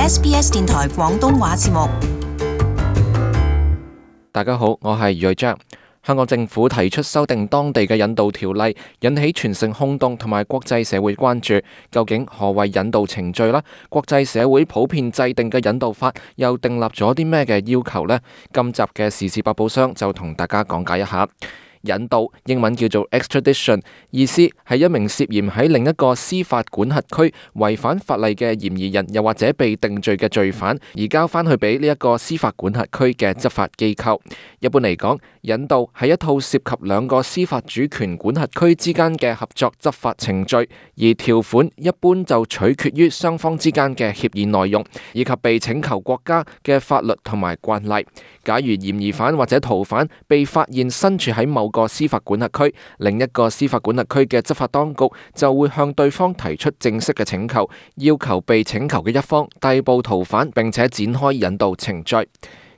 SBS 電台廣東話節目。大家好，我係余章。香港政府提出修訂當地嘅引渡條例，引起全城轟動同埋國際社會關注。究竟何謂引渡程序呢？國際社會普遍制定嘅引渡法又訂立咗啲咩嘅要求呢？今集嘅時事百寶箱就同大家講解一下。引渡英文叫做 extradition， 意思係一名涉嫌喺另一個司法管轄區違反法例嘅嫌疑人，又或者被定罪嘅罪犯，移交返去俾呢一個司法管轄區嘅執法機構。一般嚟講，引渡係一套涉及兩個司法主權管轄區之間嘅合作執法程序，而條款一般就取決於雙方之間嘅協議內容，以及被請求國家嘅法律同埋慣例。假如嫌疑犯或者逃犯被發現身處喺某個司法管轄區，另一個司法管轄區嘅執法當局就會向對方提出正式嘅請求，要求被請求嘅一方逮捕逃犯，並且展開引渡程序。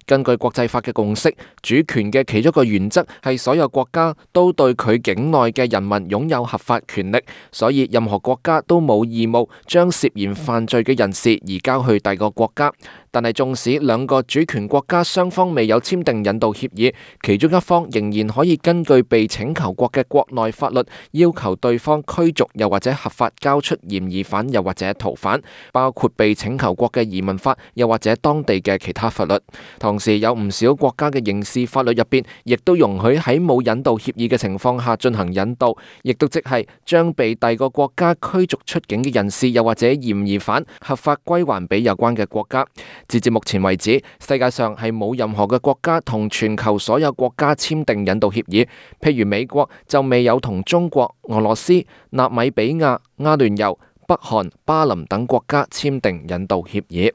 根據國際法嘅共識，主權嘅其中一個原則係所有國家都對佢境內嘅人民擁有合法權力，所以任何國家都冇義務將涉嫌犯罪嘅人士移交去第二個國家。但係縱使兩個主權國家雙方未有簽訂引渡協議，其中一方仍然可以根據被請求國嘅國內法律要求對方驅逐又或者合法交出嫌疑犯又或者逃犯，包括被請求國嘅移民法又或者當地嘅其他法律。同時有唔少國家嘅刑事法律入邊亦都容許喺冇引渡協議嘅情況下進行引渡，亦都即係將被第二個國家驅逐出境嘅人士又或者嫌疑犯合法歸還俾有關嘅國家。截至目前為止，世界上係冇任何嘅國家同全球所有國家簽訂引渡協議。譬如美國就未有同中國、俄羅斯、納米比亞、阿聯酋、北韓、巴林等國家簽訂引渡協議。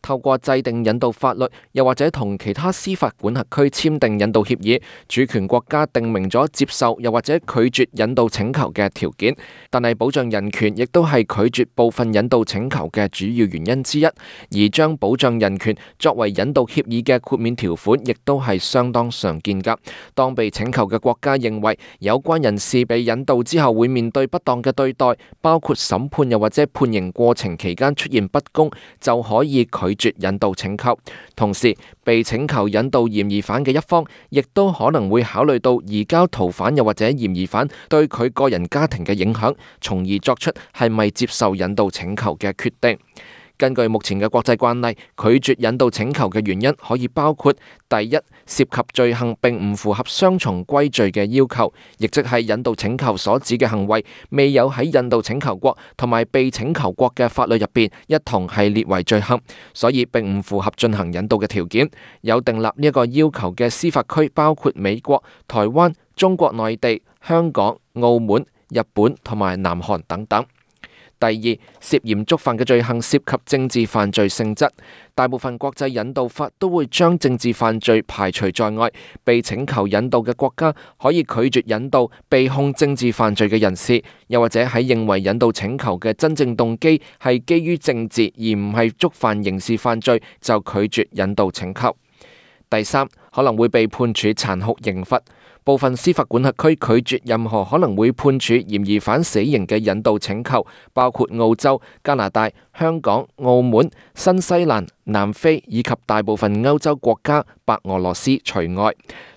透過制定引渡法律，又或者同其他司法管轄區簽訂引渡協議，主權國家定明咗接受又或者拒絕引渡請求嘅條件。但係保障人權亦都係拒絕部分引渡請求嘅主要原因之一，而將保障人權作為引渡協議嘅豁免條款，亦都係相當常見㗎。當被請求嘅國家認為有關人士被引渡之後會面對不當嘅對待，包括審判又或者判刑過程期間出現不公，就可以拒絕引渡請求。同時，被請求引渡嫌疑犯嘅一方，亦都可能會考慮到移交逃犯又或者嫌疑犯對佢個人家庭嘅影響，從而作出係咪接受引渡請求嘅決定。根據目前嘅國際慣例，拒絕引渡請求嘅原因可以包括：第一，涉及罪行並唔符合雙重歸罪嘅要求，亦即係引渡請求所指嘅行為未有喺引渡請求國同埋被請求國嘅法律入邊一同係列為罪行，所以並唔符合進行引渡嘅條件。有訂立呢一個要求嘅司法區包括美國、台灣、中國內地、香港、澳門、日本同埋南韓等等。第二，涉嫌觸犯嘅罪行涉及政治犯罪性質，大部分國際引渡法都會將政治犯罪排除在外。被請求引渡嘅國家可以拒絕引渡被控政治犯罪嘅人士，又或者喺認為引渡請求嘅真正動機係基於政治而唔係觸犯刑事犯罪，就拒絕引渡請求。第三，可能會被判處殘酷刑罰。部分司法管轄區拒絕任何可能會判處嫌疑犯死刑嘅引渡請求，包括澳洲、加拿大、香港、澳門、新西蘭、南非以及大部分歐洲國家，白俄羅斯除外。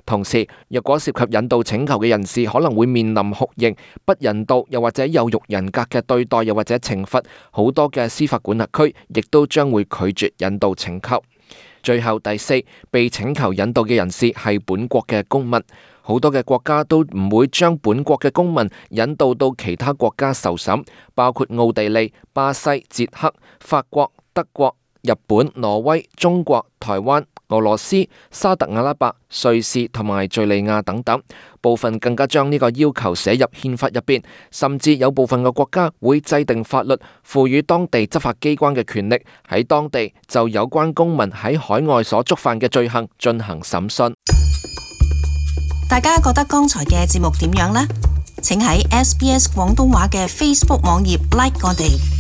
同時，若果涉及引渡請求嘅人士可能會面臨酷刑、不人道又或者有辱人格嘅對待又或者懲罰，好多嘅司法管轄區亦都將會拒絕引渡請求。最後第四，被請求引渡嘅人士係本國嘅公民。好多嘅國家都唔會將本國嘅公民引渡到其他國家受審，包括奧地利、巴西、捷克、法國、德國、日本、挪威、中國、台灣、俄羅斯、沙特阿拉伯、瑞士同埋敘利亞等等。部分更加將呢個要求寫入憲法入邊，甚至有部分嘅國家會制定法律，賦予當地執法機關嘅權力，喺當地就有關公民喺海外所觸犯嘅罪行進行審訊。大家覺得剛才嘅節目點樣呢？請喺 SBS 廣東話嘅 Facebook 網頁 like 我哋。